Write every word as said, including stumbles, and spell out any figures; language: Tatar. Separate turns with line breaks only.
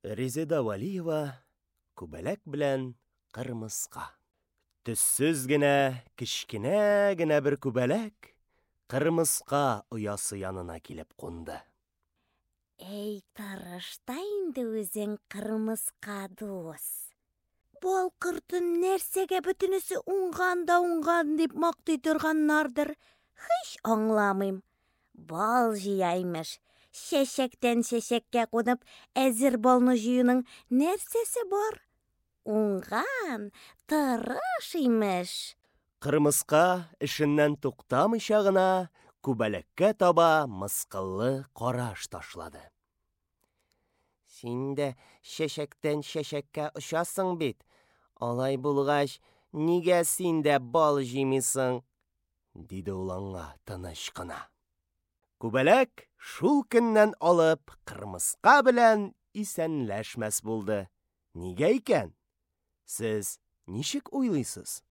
Резеда Вәлиева Күбәләк белән кырмыска. Төссез генә, кечкенә генә бер күбәләк кырмыска оясы янына килеп кунды.
Әй, тырыш та инде үзең, кырмыска дус. Бал кортын нәрсәгә бөтенесе уңган да уңган дип мактый торганнардыр, һич аңламыйм. Бал җыя, имеш. Чәчәктән чәчәккә кунып, әзер балны җыюның нәрсәсе бар? Уңган, тырыш, имеш.
Кырмыска эшеннән туктамыйча гына күбәләккә таба мыскыллы караш ташлады. Син дә чәчәктән чәчәккә очасың бит. Алай булгач, нигә син дә бал җыймыйсың? диде ул аңа тыныч кына. Күбәләк шул көннән алып кырмыска белән исәнләшмәс булды. Нигә икән? Сез ничек уйлыйсыз?